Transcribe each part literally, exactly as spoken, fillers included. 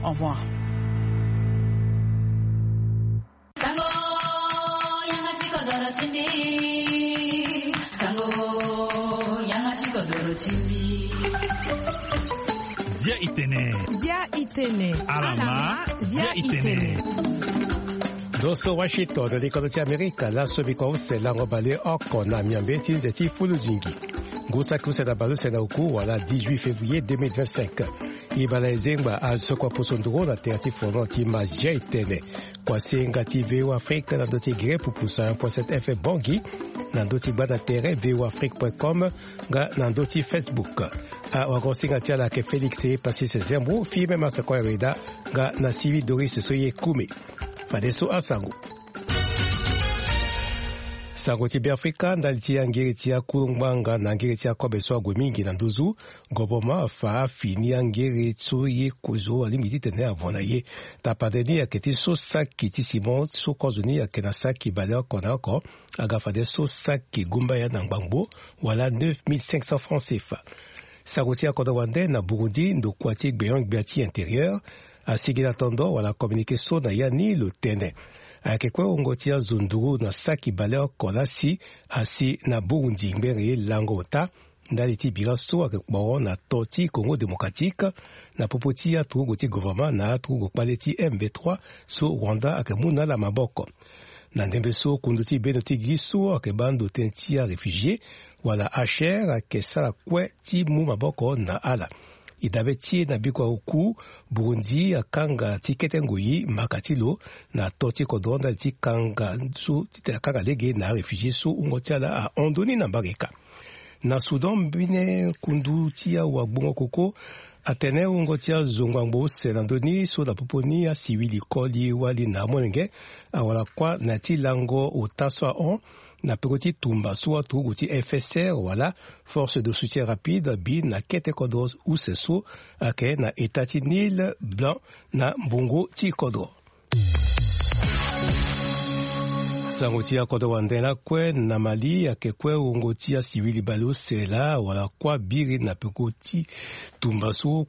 Au revoir. Sango, yanga ti kodoro ti mbi. Sango, yanga ti kodoro ti mbi. Zia itene. Zia itene. Alama, zia itene. Ndo so Washington, likodo ti Amerika, laso mbi kua use lango baleoko na miombe ti nze ti fulu zingi. Ngu saki use na baleuse na oku wala dix-huit février deux mille vingt-cinq. E baleuse ngbanga azo kua poso nduru na tere ti fono ti ma zia itene. Kua senga ti V O Afrique na ndö ti gere pupu cent un point sept F M Bangui, na ndö ti gbanda tere V O Afrique point com, nga na ndö ti Facebook. Awagosinga ti ala ayeke Félix Passy Sezembo, Firmin Massakoya Weda, nga na Sylvie Doris so ye kume. Fadeso asango. Sango ti Beafrika, ndali ti angere ti akuru ngbanga na angere ti akobe so ague mingi na nduzu, governement afa afini angere so ye kozo alingbi titene avo na ye. Tapande ni ayeke ti so saki ti ciment so kozo ni ayeke na saki baleoko na oko, aga fade so saki gumbaya na ngbangbo, wala neuf mille cinq cents francs C F A. Sango ti akodro wande na Burundi, ndokua ti gbenyo-gbia ti intérieur asigi na tondo wala communiqué so na ya ni lo tene. Ayeke kue wungo ti azo nduru na saki baleoko lasi asi na Burundi ngbere lango ota, ndali ti bira so ayeke kporo na to ti Congo Démocratique, na popo ti aturugu ti gouvernement na aturugu kpale ti M V trois so Rwanda ayeke mu na ala maboko. Na ndembe so kundu ti bendo ti gi so ayeke baa ndo tënë ti aréfugié wala H R ayeke sara kue ti mu maboko na ala. E dabe ti e na bikua oku, Burundi akanga ti kete ngoi maka ti lo na to ti kodro ndali ti kanga so titene akanga lege na aréfugié so wungo ti ala ahon ndoni na mbarika. Na Soudan, mbene kundu ti awagbongo koko atene wungo ti azo ngbangbo use na ndö ni so na popo ni asiwili koli wali na amolenge awara kuâ na ya ti lango ota so ahon na peko ti tumba so aturugu ti F S R wala Force de Soutien Rapide abi na kete kodro use so ayeke na eta ti Nil Blanc na mbongo ti kodro. Sango ti akodro wande lakue na Mali, ayeke kue wungo ti asiwili baleuse laa wala kuâ biri na peko ti tumba so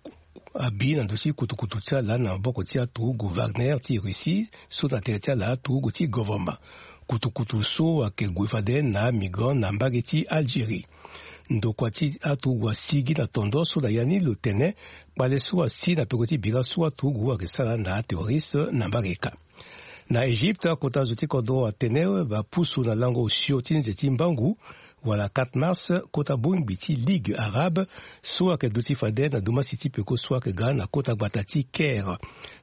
abi na ndö ti kutukutu ti ala na maboko ti aturugu Wagner ti Russie so na tere ti ala aturugu ti gouvernement. Kutukutu so ayeke gue fade na amigrant na mbage ti Algérie. Ndokua ti aturugu asigi na tondo so na ya ni lo tene kpale so asi na peko ti bira so aturugu ayeke sara na aterroriste na mbarika. Na Égypte, akota zo ti kodro atene bapusu na lango osio ti nze ti mbangu wala quatre mars, kota bongbi ti Ligue arabe so ayeke duti fade na dumasi ti peko so ayeke ga na kota gbata ti Caire,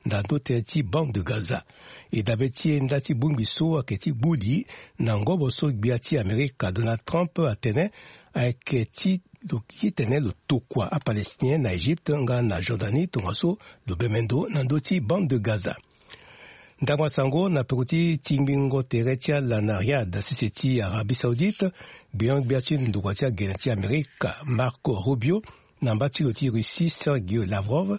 na ndö tënë ti bande de Gaza. E dabe ti e nda ti bongbi so ayeke ti gbu li na ngobo so gbia ti Amerika Donald Trump atene ayeke ti lo titene lo tokua aPalestinien na Égypte nga na Jordanie tongaso lo bembe ndo na ndö ti bande de Gaza. Ndangba sango na peko ti tingbingo tere ti ala na Riyad, sese ti Arabie Saoudite, gbenyo-gbia ti ndokua ti agene ti Amerika Marco Rubio na mba ti lo ti Russie Sergio Lavrov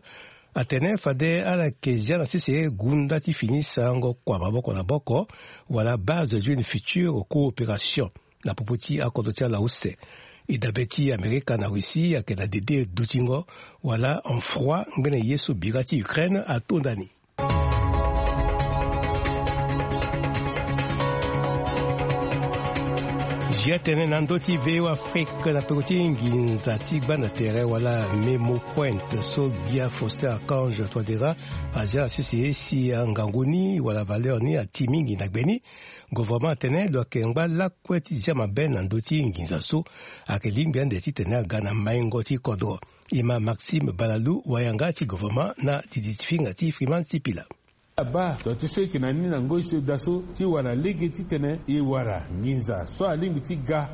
atene fade ala yeke zia na sese gunda ti fini sarango kua maboko na boko wala base d'une future coopération na popo ti akodro ti ala use. E dabe ti Amerika na Russie ayeke na dede dutingo wala en froid ngbene ye so bira ti Ukraine atonda ni. Zia tene na ndö ti V O Afrique na peko ti nginza ti gbanda tere wala Memo Point so gbia Faustin Archange Touadéra azia na sese si angangu ni wala valeur ni ati mingi na gbe ni. Gouvernement atene lo yeke ngba lakue ti zia mabe na ndö ti nginza so ayeke lingbi ande titene aga na maingo ti kodro. E ma Maxime Balalou, wayanga ti gouvernement na didi ti finga ti Freeman Sipila. Abaa ndo ti so e yeke na ni na ngoi so daa so ti wara lege titene e wara nginza so alingbi ti ga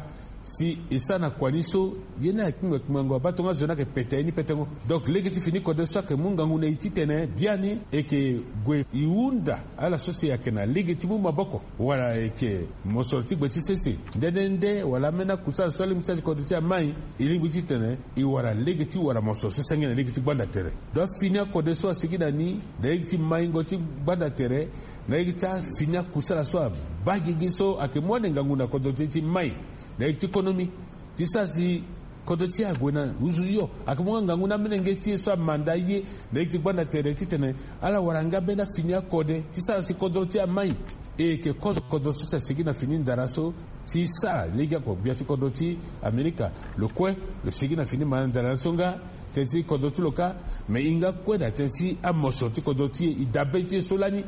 si e sara na kua ni so ye ni ayeke kpingba kpingbango abaa tongaso ni ayeke pete ye ni petengo. Donc lege ti fini kode so ayeke mu ngangu na e titene biani e yeke gue e hunda ala so si ayeke na lege ti mu maboko wala e yeke mosoro ti gbe ti sese nde nde nde wala ambeni akusala so alingbi ti sara ti kodro ti amai. E lingbi titene e wara lege ti wara mosoro so senge na lege ti gbanda tere. Donc afini akode so asigi na ni na lege ti maingo ti gbanda tere na lege ti afini akusala so abaa gigi so ayeke mu ande ngangu na kodro ti e ti mai na lege ti konomi ti sara si Kodro ti e ague na nduzu hio. Ayeke mu nga ngangu ni amolenge ti e so amanda ye na ye ti gbanda tere titene ala wara nga mbeni afini akode ti sara si kodro ti e amai. E yeke kozo kodro so si asigi na fini ndara so ti sara lege oko gbia ti kodro ti Amerika. Lo kue lo sigi na fini manda ndara ni so nga tënë ti kodro ti lo kâ. Me e hinga kue na tënë ti amosoro ti kodro ti e, e dabe ti e so lani.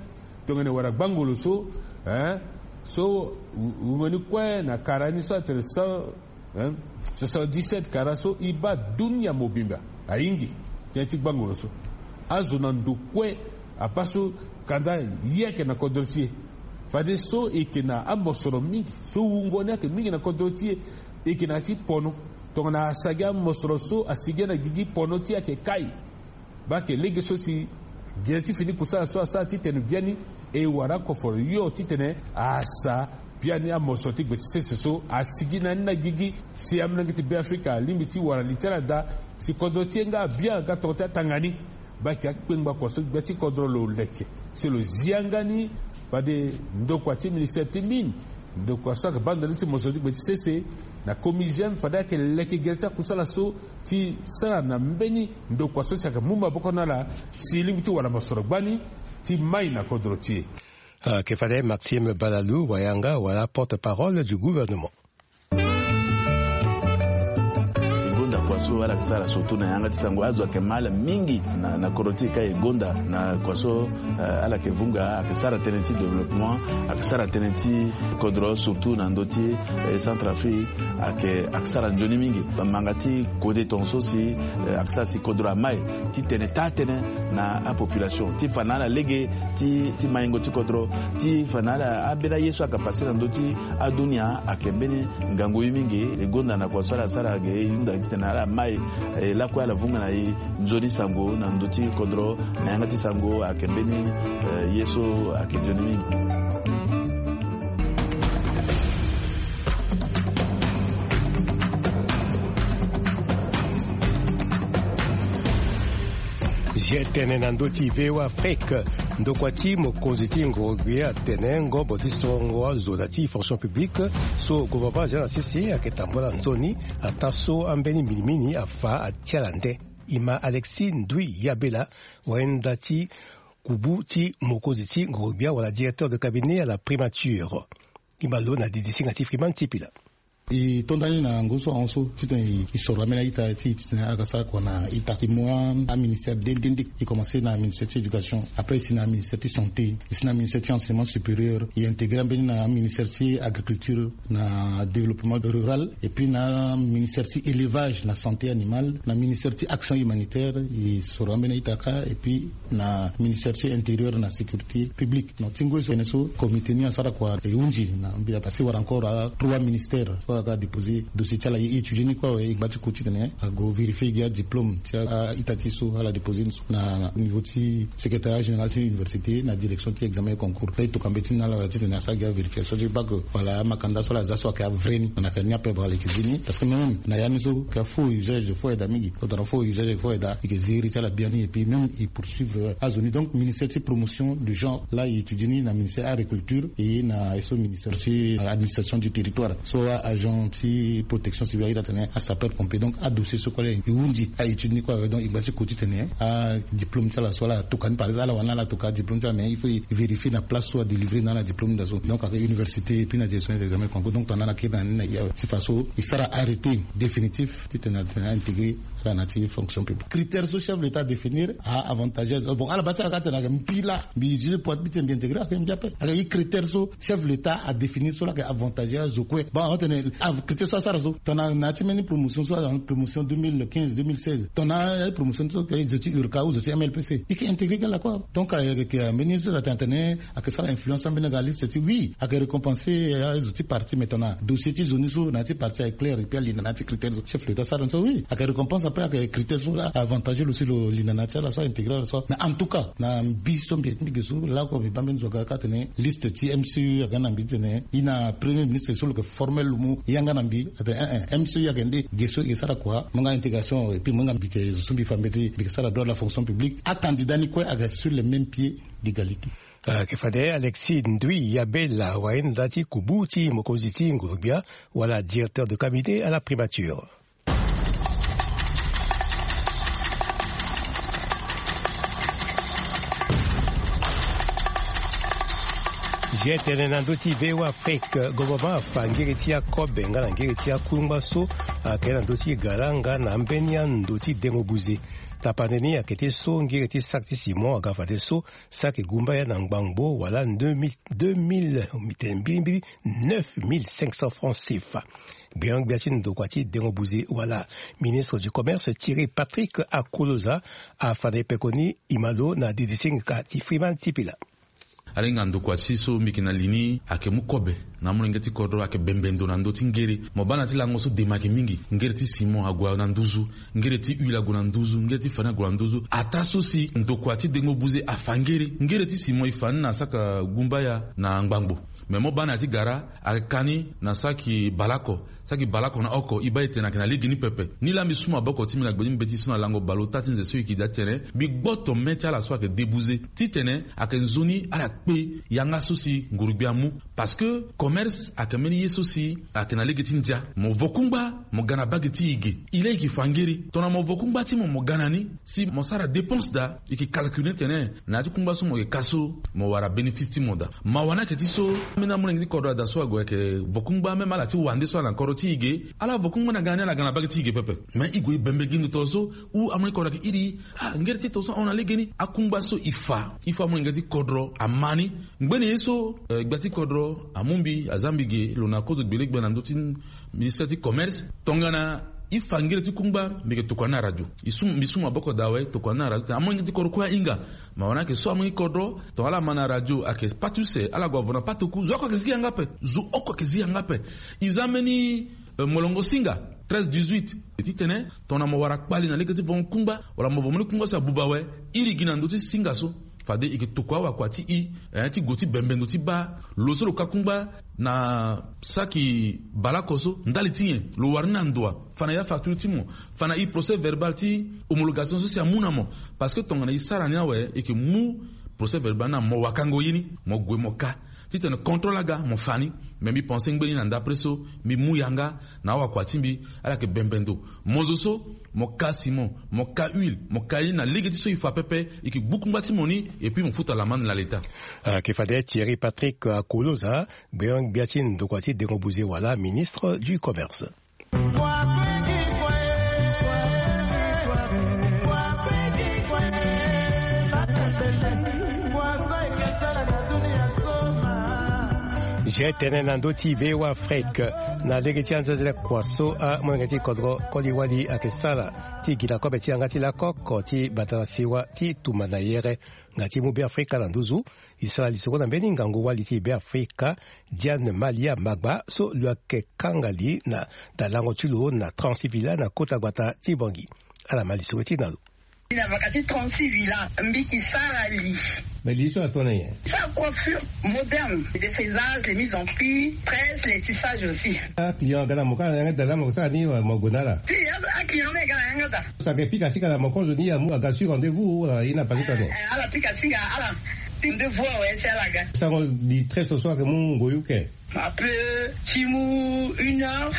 Tongana e wara gbangolo so, eh, so wu-, wungo ni kue na kara ni so atene cent, eh, soixante-dix-sept kara so e baa dunia mobimba ahingi tënë ti gbangolo so. Azo na ndo kue abaa so kanda ye ayeke na kodro ti e. Fadeso e yeke na amosoro mingi so wungo ni ayeke mingi na kodro ti e. E yeke na ya ti pono. Tongana asagi amosoro so asigi na gigi, pono ti e ayeke kai. Baa ayeke lege so si gere ti fini kusala so asara titene biani e wara akoforo hio titene asa biani amosoro ti gbe ti sese so asigi na ni na gigi. Si amolenge ti Beafrika alingbi ti wara li ti ala daa si kodro ti e nga abia nga tongana ti atanga ni. Baa ayeke akpengba kua so gbia ti kodro lo leke si lo zi yanga ni. Fade ndokua ti ministère ti mine, ndokua so ayeke baa ndo ni ti mosoro ti gbe ti sese na comisium, fade ayeke leke gere ti akusala so ti sara na mbeni ndokua so si ayeke mu maboko na ala si e lingbi ti wara mosoro gbani ti mai na kodro ti e. Ayeke fade Maxime Balalou wayanga wala porte-parole du gouvernement. E gonda kua so ala yeke sara surtout na yanga ti sango. Azo ayeke ma ala mingi na, na kodro ti e ka e gonda na kua so, eh, ala yeke vunga, ayeke sara tënë ti développement, ayeke sara tënë ti kodro surtout na ndö ti, eh, Centrafrique, ayeke, ayeke sara nzoni mingi. Manga ti kode tongaso si, eh, ayeke sara si kodro amai titene taa tënë na apopulation ti fa na ala lege ti, ti maingo ti kodro, ti fa na ala ambeni aye so ayeke pase na ndö ti adunia ayeke mbeni ngangu ye mingi. E gonda na kua so ala sara ge e hunda titene ala mai, eh, lakue ala vunga na e nzoni sango na ndö ti kodro na yanga ti sango ayeke mbeni, eh, ye so ayeke nzoni mingi. Zia tene na ndö ti V O A Afrique. Ndokua ti mokonzi ti ngorogbia atene ngombo ti sorongo azo na ti fonction publique so gouvernement azia na sese ayeke tambula nzoni, ataa so ambeni minimini afa atia ala nde. E ma Alexis Ndui Yabela, wayenda ti kubu ti mokonzi ti ngorogbia wala directeur de cabinet à la primature. E ma lo na didisinga ti Freeman Tipila. E to nda ni na ngu so ahon so titene e soro ambeni a-ita ti e titene ala ga sara kua na ita. E mu aministère nde nde nde. E commencé na ministère ti éducation, après e si na ministère ti santé, e si na ministère ti enseignement supérieur, e intégré ambeni na ministère ti agriculture, na développement rural, et puis na ministère ti élevage, na santé animale, na ministère ti action humanitaire, e soro ambeni a-ita kâ, et puis na ministère ti intérieur na sécurité publique. Donc ti ngu so tënë so comité ni asara kua e hunzi na mbi ape si wara encore a trois ministères so aga déposer dossier ti ala, e étudier ni kue awe. E ngba ti ku titene ago vérifier gi adiplôme ti a-ita ti e so ala déposer ni so na niveau ti secrétariat général ti université na direction ti examen et concours. E tokua mbeti ni na ala wala titene asara gi avérification ti bac wala amakanda so ala za so ayeke avrai ni. Na yeke ni ape baa ala yeke zi ni parce que même na ya ni so ayeke faux usage de faux aide mingi. Tongana faux usage de faux aide, e yeke zi iri ti ala biani et puis même e poursuivre azo ni. Donc ministère ti promotion du genre laa e étudier ni na ministère agriculture et na ye so ministère ti administration du territoire so agent ti protection civile ayeda atene asapeur pompier. Donc adossier so kue laa e hunzi a-étude ni kue awe. Donc e ngba ti ku titene adiplôme ti ala so ala tokua ni, par exemple ala wani ala tokua adiplôme ti ala, mais il faut e vérifier na place so adélivrer na ala diplôme ni daa so. Donc ayeke université et puis na direction des examens concours. Donc tongana ala kiri na ni na e awe ti fa so e sara arrêté définitif titene atene a-intégrer ala na ya ti fonction publique. Critère so chef de l'état adéfinir a-avantageuse. Bon ala baa ti ala kâ atene ayeke mbi laa mbi utiliser poids ti mbi titene mbi intégrer, ayeke mbi ape. Ayeke critère so chef de l'état adéfinir so laa ayeke avantageuse kue. Bon atene critère so asara so tongana na ya ti mbeni promotion so, promotion deux mille quinze, deux mille seize, tongana promotion so ayeke zo ti URCA ou zo ti MLPC, e yeke intégrer kue lakue. Donc ayeke mbeni so atene atene ayeke sara influence ambeni aga liste ti, oui ayeke récompenser azo ti parti. Mais tongana dossier ti zo ni so na ya ti parti ayeke clair et puis alinda na ya ti critère so chef de l'état asara ni so, oui ayeke récompense ape, ayeke critère so avantage lo si lo linda na ya ti ala so a-intégrer ala so. Mais en tout cas na mbi so mbi yeke ti mbi ge so laoko mbi baa mbeni zo aga kâ atene liste ti MCU aga na mbi titene e na premier ministre so lo yeke formel lo mu yanga na mbi atene eh eh MCU ayeke nde ge so e yeke sara kua mo yanga intégration et puis mo yanga mbi yeke zo so mbi fa mbeti mbi yeke sara droit de la fonction publique. Acandidat ni kue ayeke sur le même pied d'égalité. Ayeke fade Alexis Ndui Yabela, wayenda ti kubu ti mokonzi ti nguru-gbia wala directeur de cabinet à la primature. Ge tene na ndö ti V O A Afrique, gouvernement afa ngiri ti akobe nga na ngiri ti akungba so ayeke na ndö ti gara nga na ambeni ando ti dengo buze. Tapande ni ayeke ti so ngiri ti saki ti simon aga fadeso saki gumbaya na ngbangbo wala deux mille, deux mille, mbi tene mbilimbili, neuf mille cinq cents francs CFA. Gbeon-gbia ti ndokua ti dengo buze wala ministre du commerce Thierry Patrick Akoloza afa na e pekoni imalo na didisingika ti Freeman Sipila. Ala hinga ndokua ti so mbi yeke na li ni ayeke mu kobe na amolenge ti kodro ayeke bembe ndo na ndö ti ngere. Mo baa na ya ti lango so dema ayeke mingi. Ngere ti simon ague na nduzu, ngere ti huile ague na nduzu, ngere ti fani ague na nduzu. Ataa so si ndokua ti dengo buze afa ngere. Ngere ti simon e fa ni na saka gumbaya na ngbangbo. Me mo baa na ya ti gara ayeke ka ni na saki baleoko. Saki baleoko na oko e baa e tene ayeke na lege ni pepe. Nilaa mbi su maboko ti mbi na gbe ti mbeti so na lango baleota ti nze so e yeke daa ti tene mbi gboto me ti ala so ayeke debuze titene ayeke nzoni ala kpe yanga so si ngurugbia amu. Parce que commerce ayeke mbeni ye so si ayeke na lege ti ndia. Mo vo kungba mo ga na bage ti e ge. E laa e yeke fa ngere tongana mo vo kungba ti mo mo ga na ni si mo sara dépense daa e yeke calcule ni tene na ya ti kungba so mo yeke ka so mo wara bénéfice ti mo daa. Mawa ni ayeke ti so, ambeni amolenge ti kodro ada so ague ayeke vo kungba même ala ti wande so ala na kodro ti e ge. Ala vo kungba na ga na ni ala ga na bage ti e ge pepe. Me e gue e bembe gi ndo tongaso. Ou amolenge ti kodro ayeke iri ah ngere ti tongaso ahon na legeni akungba so e fa e fa amolenge ti kodro ama ni. Ngbene ye so gbia ti kodro amu mbi aza mbi ge lo na kozo gbele gbia na ndö ti ministère ti commerce. Tongana e fa ngere ti kungba mbi yeke tokua ni na radio. Mbi su maboko daa awe tokua ni na radio tena amolenge ti kodro kue ahinga. Mawa ni ayeke so amolenge ti kodro tongana ala ma na radio ayeke pâte use ala gue avo na pâte oku zo oko ayeke zi yanga ape. Zo oko ayeke zi yanga ape. E za mbeni molongo singa treize dix-huit. Titene tongana mo wara kpali na lege ti vongo kungba wala mo vo mbeni kungba so abuba awe, iri gi na ndö ti singa so. Fade e yeke tokua awakua ti e ti gue ti bembe ndo ti baa lo so lo ka kungba na saki baleoko so ndali ti nyen lo wara ni na ndo wa? Fa na ya facture ti mo. Fa na e procès verbal ti homologation so si amu na mo. Parce que tongana e sara ni awe e yeke mu procès verbal ni na mo wakango ye ni mo gue mo ka titene contrôle aga mo fa ni. Me mbi pense ngbeni na ndapre so mbi mu yanga na awakua ti mbi. Ala yeke bembe ndo. Mo zo so mo ka simon, mo ka huile, mo ka ye ni na lege ti so e fa pepe. E yeke gbu kungba ti mo ni. Et puis mo futa lamande na leta. Ayeke fade Thierry Patrick Akoloza, gbeon-gbia ti ndokua ti dengo buze wala ministre du commerce. Ge tene na ndö ti V O A Afrique na lege ti anzenzele kua so amolenge ti kodro koli wali ayeke sara ti gi na kobe ti yanga ti lakoko ti bata na siwa ti tumba na yere nga ti mu Beafrika na nduzu. E sara lisoro na mbeni ngangu-wali ti Beafrika, Diane Malia Magba so lo yeke kanga li na dalango ti lo na trente-six villa na kota gbata ti Bangui. Ala ma lisoro ti na lo. Mbi na vaka ti trente-six villa mbi ki sara li. Mais li so atone nyen? Sa coiffure moderne, défrisage, les mises en pli, tresse, les tissages aussi. Aclient aga na mo kâ na yanga dala mo sara ni mo gue na ala? Si, aclient ni aga na yanga da. Sake pika sika na mo kozo ni amu aga sur rendez-vous wala ye ni apase tone? Ala pika singa ala. Rendez-vous awe si ala ga. Sango li tresse so ayeke mu ngoi uke? Ape ti mu une heure.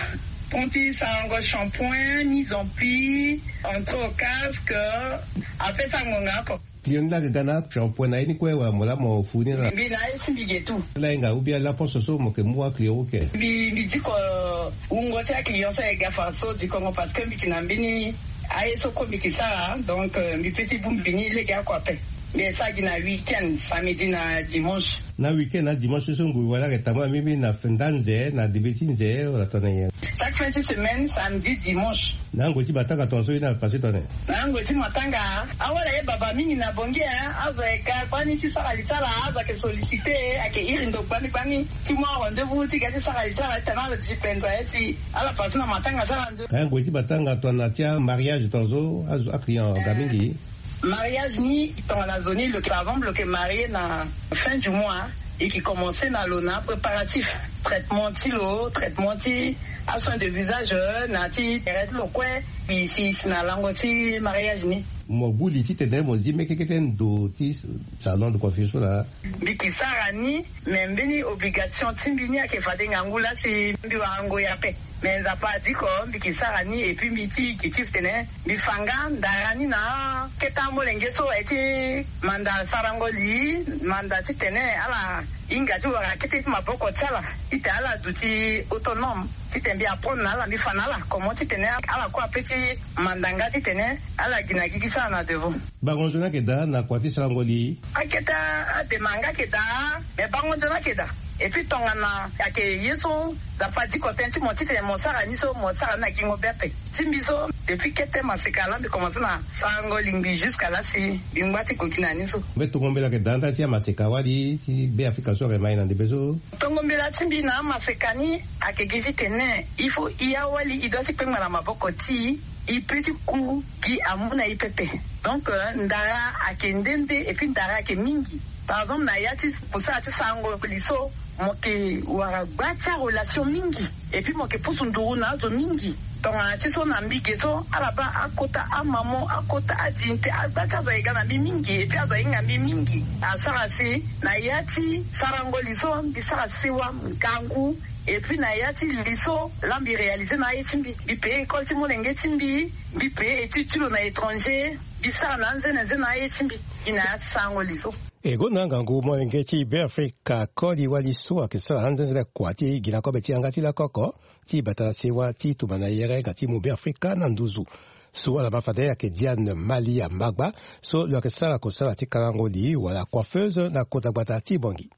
Ton ti sarango shampoing, mise en pli, entrer au casque. Ape sango nga oko. Client ni laa ayeke ga na ashampoing na ye ni kue wala mo laa mo fu ni laa? Mbi na ye ti mbi ge tout. Laa hinga ou bien laa poste so mo yeke mu aclient uke? Mbi mbi diko wungo ti aclient so ayeke ga fa so dikongo parce que mbi yeke na mbeni aye so kue mbi yeke sara donc mbi pe ti bongbi ni lege oko ape. Mbi sara gi na week-end, samedi na dimanche. Na week-end na dimanche so ngoi wala ayeke tambula mingi na nda nze na debe ti nze wala tongana nyen? Chaque fin ti semaine, samedi, dimanche. Na ngoi ti matanga tongaso ye ni apase tongana nyen? Na ngoi ti matanga awala ye baba mingi na bongi e. Azo ayeke ga gbani ti sara li ti ala, azo ayeke sollicite, ayeke iri ndo gbani gbani ti mu arendez-vous ti ga ti sara li ti ala ti tene ala duti pendo aye si ala pase na matanga ti ala nzoni. Ka ngoi ti matanga tongana ti amariage tongaso azo aclient aga mingi? Mariage ni tongana zo ni lo yeke avant lo yeke marie na fin du mois. E yeke commence na lo na apréparatif, traitement ti lo, traitement ti asoin de visage, na ti tere ti lo kue. Mbi si si na lango ti mariage ni. Mo gbu li titene mo zi mekekete ndo ti salon de confiance so laa? Mbi yeke sara ni. Me mbeni obligation ti mbi ni ayeke fade ngangu laa si mbi wara ngoi ape. Mais Nzapa adiko mbi ke sara ni, et puis mbi ti gi ti tene mbi fa nga ndara ni na akete amolenge so aye ti manda sarango li, manda titene ala hinga ti wara akete ti maboko ti ala, titene ala duti autonome, titene mbi apprendre na ala, mbi fa na ala comment titene ala kue ape ti manda nga titene ala gi na gigi ti ala na devant. Bango nzoni ayeke daa na kua ti sarango li? Akete adema nga ayeke daa, mais bango nzoni ayeke daa. Et puis tongana ayeke ye so Nzapa adiko tënë ti mo titene mo sara ni so, mo sara ni na gingo be ape. Ti mbi so, depuis kete maseka laa mbi komanse na sarango lingbi jusqu'à laa si mbi ngba ti gue gi na ni so. Mbe tongo mbela ayeke daa nda ti amaseka wali ti Be Afrika so ayeke ma e na ndembe so? Tongo mbela ti mbi na amaseka ni ayeke gi titene il faut e awali e doit ti kpengba na maboko ti e, e peut ti ku gi amu na e pepe. Donc, euh, ndara ayeke nde nde, et puis ndara ayeke mingi. Par exemple, na ya ti kusala ti sarango li so, mo yeke wara gba ti arelation mingi, et puis mo yeke pusu nduru na azo mingi. Tongana ti so na mbi ge so, ala baa akota amamo, akota adinte, agba ti azo aye ga na mbi mingi, et puis azo ahinga mbi mingi. Asara si na ya ti sarango li so, mbi sara sewa ngangu, et puis na ya ti li so laa mbi réaliser na aye ti mbi. Mbi payer école ti molenge ti mbi, mbi payer étude ti lo na étranger, mbi sara na anzenenze na aye ti mbi. Gi na ya ti sarango li so. E gonda ngangu molenge ti Be Afrika koli wali so ayeke sara anzenze kua ti gi na kobe ti yanga ti lakoko ti bata na sewa ti tumba na yere nga ti mu Be Afrika na nduzu. So ala ma fade ayeke Diane Malia Magba, so lo yeke sara kosala ti karango li wala coiffeuse na kota gbata ti Bangui.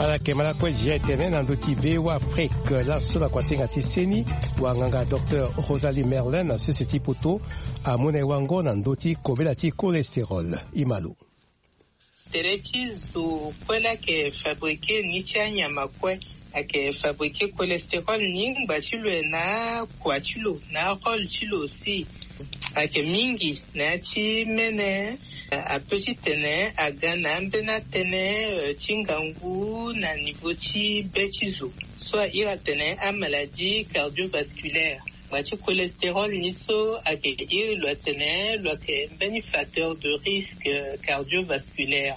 Ala yeke ma lakue zia etene na ndö ti V O A Afrique laso na kuasinga ti seni, wanganga docteur Rosalie Merlin na sese ti poto amu na e wango na ndö ti kobela ti cholestérol. E ma lo. Tere ti zo kue laa ayeke fabriquer ni ti anyama kue. Ayeke fabriquer cholestérol ni ngba ti lo e na akua ti lo na arole ti lo aussi. Ayeke mingi na ya ti mene, ape titene aga na ambeni atënë, eh, ti ngangu na niveau ti be ti zo so a iri atene amaladie cardiovasculaire. Ngba ti cholestérol ni so ayeke iri lo atene lo ayeke mbeni facteur de risque cardiovasculaire.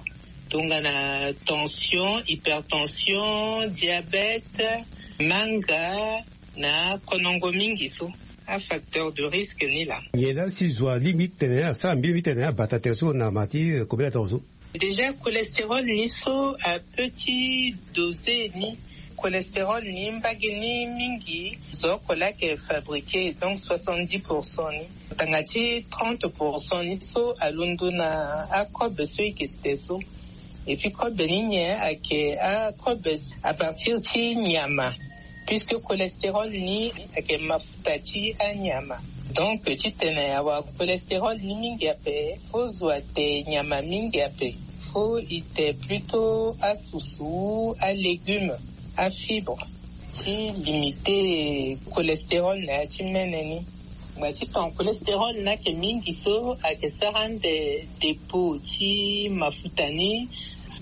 Tongana tension, hypertension, diabète, manga na konongo mingi so. Afacteur de risque ni laa. Nyen laa si zo alingbi titene asara mbirimbiri titene abata tere so na ma ti, eh, kobela tongaso? Déjà, cholestérol ni so ape ti dosé ni. Cholestérol ni mbage ni mingi zo oko laa ayeke fabriquer, donc soixante-dix pour cent ni. Tanga ti trente pour cent ni so alondo na akobe so e ke te so. Et puis kobe ni nyen? Ayeke akobe à partir ti nyama. Puisque cholestérol ni ayeke mafuta ti anyama. Donc titene awara cholestérol ni mingi ape, faut zo ate nyama mingi ape. Faut e te plutôt asusu, alégume, afibre, ti limiter cholestérol na ya ti mene ni. Ngba ti ton cholestérol ni ayeke mingi so ayeke sara ande dépôt ti mafuta ni.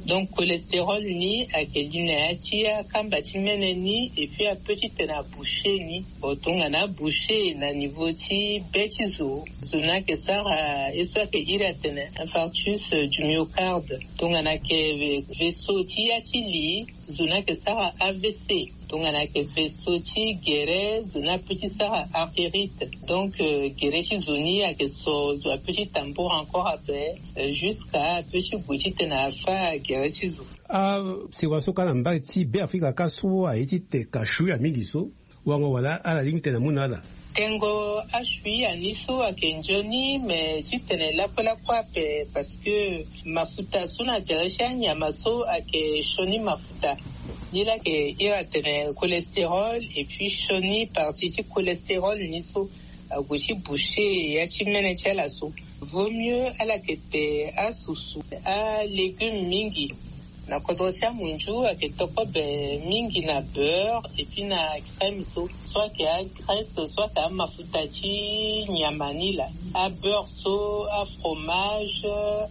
Donc cholestérol ni ayeke li na ya ti akamba ti mene ni, et puis ape titene aboucher ni. Bon, tongana aboucher na niveau ti be ti zo, zo ni ayeke sara ye so ayeke iri atene infarctus du myocarde. Tongana ayeke vaisseau ti ya ti li, zo ni ayeke sara A V C. Tongana ayeke vaisseau ti gere, zo ni ape ti sara artérite. Donc, euh, gere ti zo ni ayeke so, zo ape ti tambour encore ape, euh, jusqu'à ape ti gue titene afa gere ti zo. Asewa so kâ na mbage ti Be Afrika kâ so aye ti teka shuya mingi so, wango wala ala lingbi tene amu na ala? Tengo ashuya ni so ayeke nzoni, mais titene lakue lakue ape, parce que mafuta so na tere ti anyama so ayeke sioni mafuta. Ni laa ayeke iri atene cholestérol, et puis sioni partie ti cholestérol ni so ague ti boucher ya ti mene ti ala so. Vaut mieux ala yeke te asusu alégume mingi. Na kodro ti amunzu ayeke to kobe mingi na beurre et puis na crème so. So ayeke agraisse, so ayeke amafuta ti nyama ni laa. Abeurre so, afromage,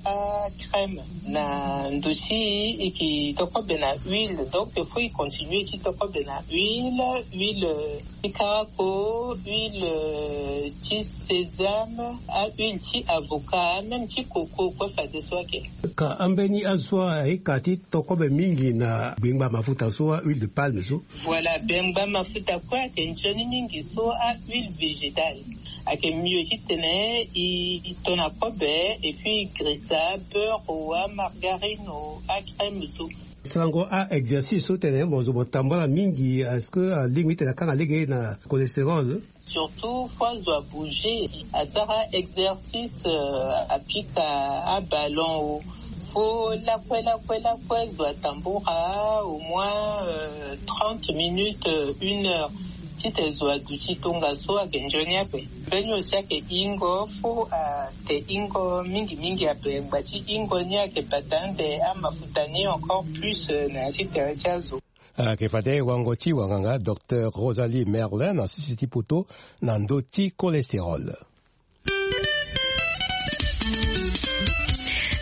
acrème. Na ndo ti e ke tokobe na huile, donc fo e continue ti tokobe na huile, huile ti karako, huile ti sésame, ahuile ti avocat, même ti coco kue fadeso ake. Ka ambeni azo so aye ka ti tokobe mingi na gbengba mafuta so, ahuile de palme so? Voilà, gbengba mafuta kue ake nzoni mingi so ahuile végétale. Ake mieux titene e to na kobe et puis grisa beurre o, amargarine o, acrème so. Sango a exercice so tene mo zo mo tambula mingi, est ce que alingbi titene akanga lege na cholestérol? Surtout fo azo abouger, asara exercice, apika aballon o. Fo lakue lakue lakue zo atambula au moins trente minutes, une heure, titene zo aduti tongaso ake nzoni ape. Mbeni aussi ake ingo, fo ate ingo mingi mingi ape. Ngba ti ingo ni ake bata ande amafuta ni encore plus na ya ti tere ti azo. Ake fade wango ti wanganga docteur Rosalie Merlin na sese ti poto na ndo ti cholestérol.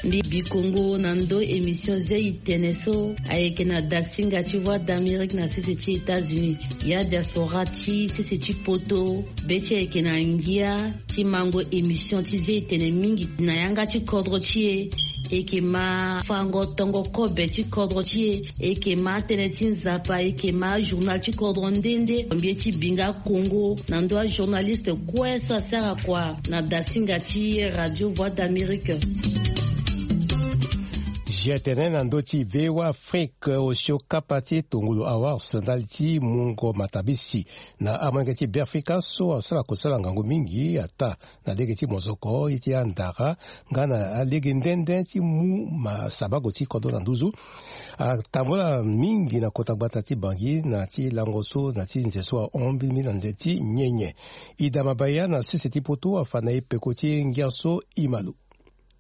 Mbi bikongo na ndo émission zei tene so ayeke na dasinga ti Voix d'Amérique na sese ti États-Unis. Ya diaspora ti sese ti poto, be ti ayeke na ngia ti mango émission ti zei tene mingi na yanga ti kodro ti e. E yeke ma fango tongo kobe ti kodro ti e. E yeke ma tënë ti Nzapa, e yeke ma journal ti kodro nde nde. Mbi ye ti binga kongo na ndo ajournaliste kue so asara kua na dasinga ti Radio Voix d'Amérique. G T N na ndo ti V O A Afrique, osio kapa ti tongolo awards ndali ti mungo matabisi na amolenge ti Beafrika so asara kosala ngangu mingi ata na lege ti mozoko ye ti andara nga na alege nde nde ti mu ma sabago ti kodro na nduzu. Atambula mingi na kota gbata ti Bangui na ti lango so na ti nze so ahon mbili mbili na nze ti nyenye. Ida Mabaya na sese ti poto afa na e peko ti ngia so. Imalo.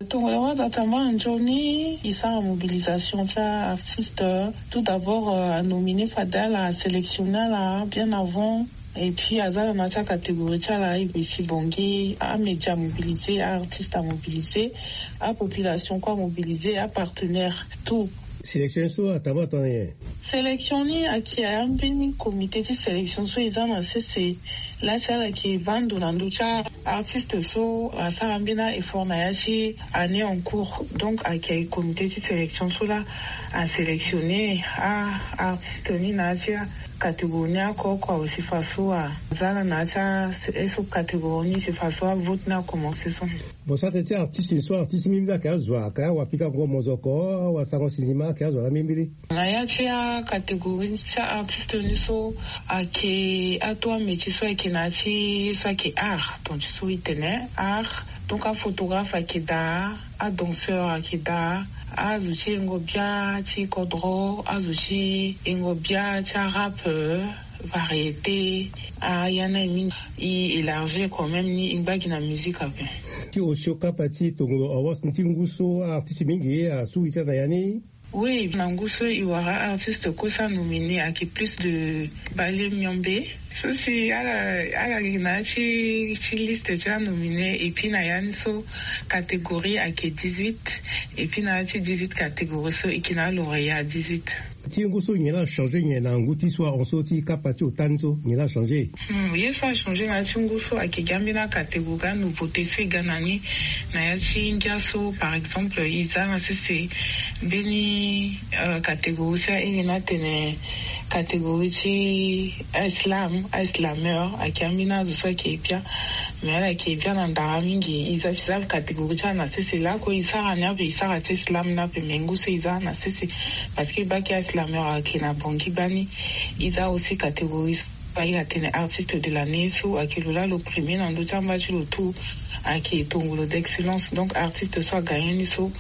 Tongolo awards atambula nzoni, e sara mobilisation ti aartiste. Tout d'abord, anomine fade ala, asélectionne ala bien avant. Et puis aza na na ti acatégorie ti ala, e besi bongi amédia amobilise, aartiste amobilise, apopulation kue amobilise, apartenaire, tout. Sélection so atambula tongana nyen? Sélection ni ayeke ya mbeni comité ti sélection so e za na sese. Laa si ala yeke vando na ndö ti aartiste so asara mbeni a-effort na ya ti année en cours. Donc ayeke comité ti sélection so laa asélectionne aartiste ni na ya ti acatégorie ni oko oko. Awe si faso aza na na ya ti aso catégorie ni si faso avote ni akomense so. Bon, sara tënë ti artiste ni so, artiste mingi mingi ayeke azo, ayeke awapikango mozoko, awasango sinzima, ayeke azo na mingi mingi. Na ya ti acatégorie ti aartiste ni so ayeke ato amétier so ayeke na ya ti so ayeke art, donc ti so e tene art. Donc aphotographe ayeke daa, adanseur ayeke daa, azo ti yengo bia ti kodro, azo ti yengo bia ti arap, variété. Aya ni aye mingi, e élargir quand même ni e ngba gi na musique ape. Ti osio kapa ti tongolo awards ni ti ngu so aartiste mingi asu gi ti ala na ya ni. Oui, na ngu so e wara aartiste kue so anominé ayeke plus de bale miombe. So si ala, ala gi na ya ti, ti liste ti anominé, et puis na ya ni so catégorie ayeke dix-huit, et puis na ya ti dix-huit catégorie so e yeke na alauréat dix-huit. Ti ngu so nyen la achangé nyen na ngu ti so ahon so ti kapa ti ota ni so, nyen la achangé? Hmm, ye so achangé na ya ti ngu so ayeke ga ambeni acatégorie, anouveauté so e ga na ni. Na ya ti ngia so par exemple e za na sese mbeni, euh, catégorie so airi ni atene catégorie ti aislam, aislameur, ayeke ambeni azo so ayeke bia. Mais ala yeke bia na ndara mingi, e za, e za catégorie ti ala na sese. Lakue e sara ni ape, e sara ti slam ni ape, mais ngu so e za na sese. Parce que baki slameur ayeke na Bangui gbani. E za aussi catégorie so airi atene artiste de l'année so ayeke lo laa lo premier na ndö ti amba ti lo tout. Ayeke tongolo d'excellence. Donc artiste so agagné ni so,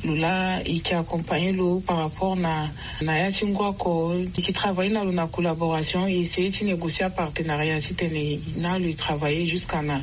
lo laa e yeke accompagner lo par rapport na na ya ti ngu oko, e yeke travailler na lo na collaboration, e essayer ti négocier apartenariat titene na lo e travailler jusqu'à na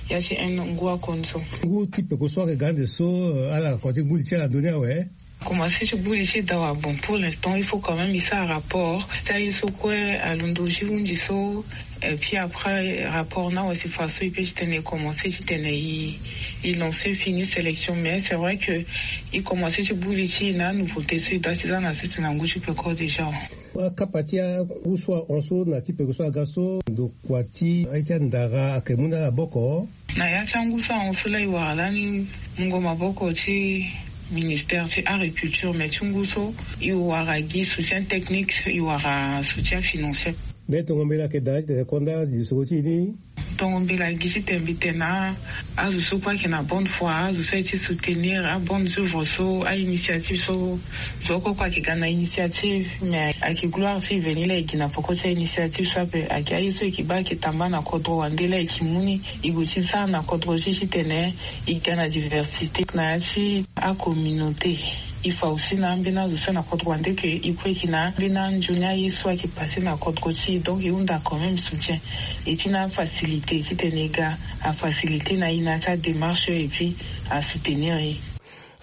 ya ti un an ngu oko ni so. Ngu ti peko so ayeke ga ande so, euh, ala kua ti ngu li ti ala na ndö ni awe. Commencé ti buli ti dawa. Bon, pour l'instant il faut quand même il sara rapport ti aye so kue alondo ti hunzi so. Et puis après rapport na wasi fa so il peut ti tene commencé ti tene il il lancé fini sélection, mais c'est vrai que il commencé ti buli ti na nouveauté so il dasi za na sese na ngu ti peko déjà. Akapa ti angu so ahon so na ti peko so aga so ndokua ti aye ti andara ayeke mu na ala boko. Na ya ti angu so ahon so la e wara lani mungo maboko ti ministère ti agriculture, mais ti ngu so e wara gi soutien technique, e wara soutien financier. Mbe tongo mbela ayeke daa titene konda lisoro ti e ni. Tongo mbela gi titene mbi tene na azo so kue ayeke na bonne foi, azo so aye ti soutenir abonne œuvre so, ainitiative so. Zo oko kue ayeke ga na initiative, mais ayeke gloire ti e veni la e gi na peko ti ainitiative so ape. Ayeke aye so e yeke baa ayeke tamba na kodro wande la e yeke mu ni e gue ti za na kodro ti e titene e ga na diversité na ya ti acommunauté. E fa aussi na ambeni azo so na kodro wande ke e kue e yeke na ambeni anzoni aye so ayeke passé na kodro ti e, donc e hunda quand même soutien. Et puis na afacilité titene e ga afacilité na e na ya ti adémarche et puis asoutenir e.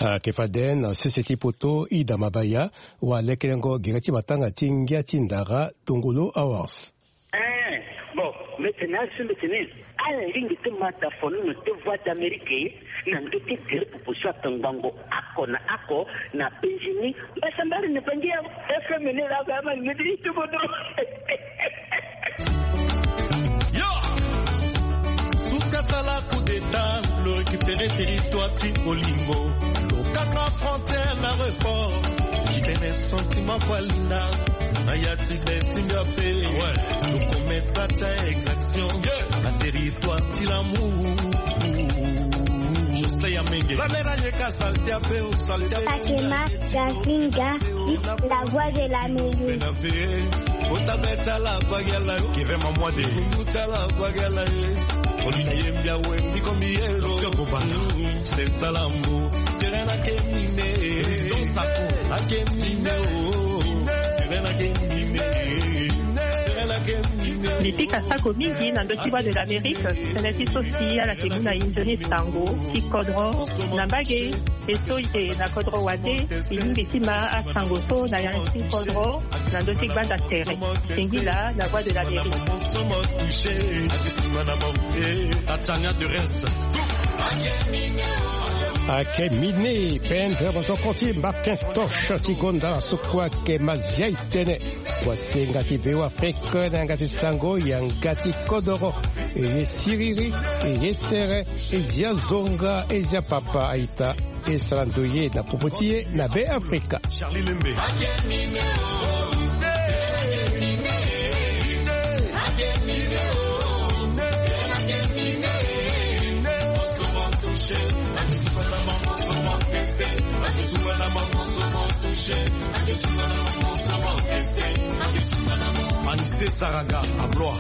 Ayeke fade na sese ti poto Ida Mabaya, walekelengo gere ti matanga ti ngia ti ndara Tongolo Awards. Eh, bon, mbi tene azo mbi tene ala lingbi ti ma dafonono ti Voix d'Amérique na ndö ti gere popo so atongbango oko na oko na Benjini. Mbasambari na bangi ya F M ni la ba ma ngedi ti bodo. Yo! Susi asala coup d'état, lo récupérer territoire ti Olingo, lo kanga frontière na report. Kitene sentiment kwa linda na ya ti be ti mbia pe. Ah ouais. Lo commettre ta exaction na territoire ti l'amour. Jocelyn Yamenge. La mera yeka salté ape o salté. Sakema Gazinga, la voix de l'Amérique. Mbi pika sako mingi na ndö ti Voix de l'Amérique, tënë ti so si ala yeke mu na e nzoni sango ti kodro na mbage. E so e yeke na kodro wande, e lingbi ti ma asango so na yanga ti kodro na ndö ti gbanda tere. Singila na Voix de l'Amérique. Tania de Reims. Ayeke mine pendre mozoko ti Macintosh ti gonda na so kue ayeke mazia e tene. Wasenga ti V O A Afrique na yanga ti sango yanga ti kodoro. E ye siriri, e ye tere, e zia zonga, e zia papa a-ita. E sara ndoye na popo ti e na Be Afrika. Charlie Lembe. Anise Saraga à Blois.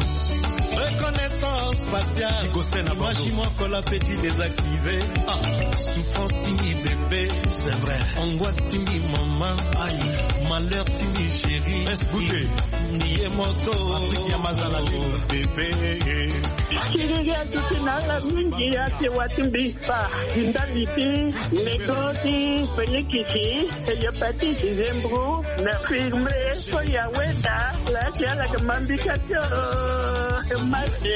Reconnaissance faciale. Image moko la petit désactivé. Ah, souffrance ti mbi bébé. C'est vrai. Angoisse ti mbi maman. Aïe. Malheur ti mbi chérie. Escoutez. Mbi ye moto. Patrick Yamazala, bébé. Kiriri atuti na ala mingi ate wa ti mbi. Fa ndali ti lego ti Félix ti hépatite, zembro na firme so ya weda la ti ala ke mambika ti o mate.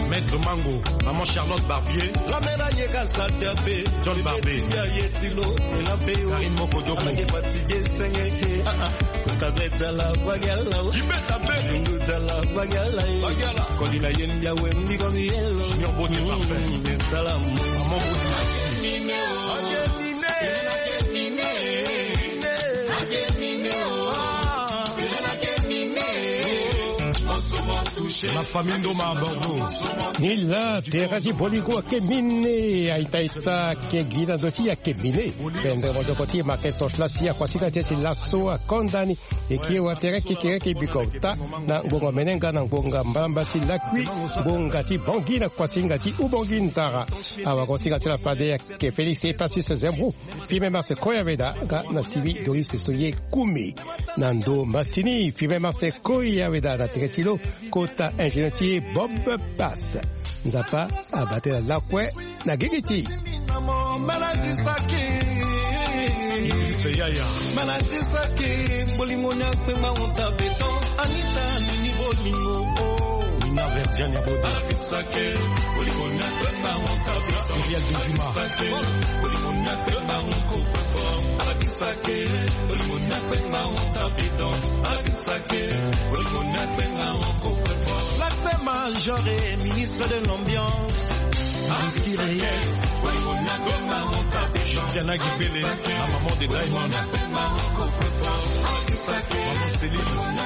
Maître Mango, Maman Charlotte Barbier. La mère a yeka salté ape. John Barbe. Ya ye ti lo, e la pe o. Karine Mokodoko. Ala ke fatigué senge ke. Ah, ah. Kota beta la bagala. Kibeta be. Nduta la bagala, eh. Bagala. Kodi na yen bia wem di komi yelo. Junior Bote parfait. Mm, beta la mo. Maman Bote. La famille Ndoma à Bordeaux. Ni la, tere ti Boligo ayeke mine, aita-ita ayeke gi na ndo ti e ayeke mine. Pendre mozoko ti e Macintosh la si akuasinga ti e ti laso akonda ni. E kiri wa tere kekereke biko ota na ngonga menenga na ngonga mbalamba ti lakui, ngonga ti bongi na kuasinga ti ubongi ndara. Awagosinga ti la fade ayeke Félix Epasis Zembrou. Firme Marse Koyaveda nga na Sylvie Doris Soye Koumi. Na ndo masini Firme Marse Koyaveda na tere ti lo kota ingénieur ti e Bob Pass. Nzapa abaa tënë na lakue na gigi ti e. Idrissa Yaya. Maladi saki, bolingo ni akpengba honte beton. Anita, nini bolingo, oh. Nina Verdiane Abodo. Maladi saki, bolingo ni akpengba honte beton. Cyril Dezima. Maladi saki, bolingo ni akpengba honte beton. Maladi saki, bolingo ni akpengba honte beton. Maladi saki, bolingo ni akpengba honte beton. L'accès major et ministre de l'ambiance. Christy Reyes. Christiana Gibele, la maman de Diamond. Maman Céline.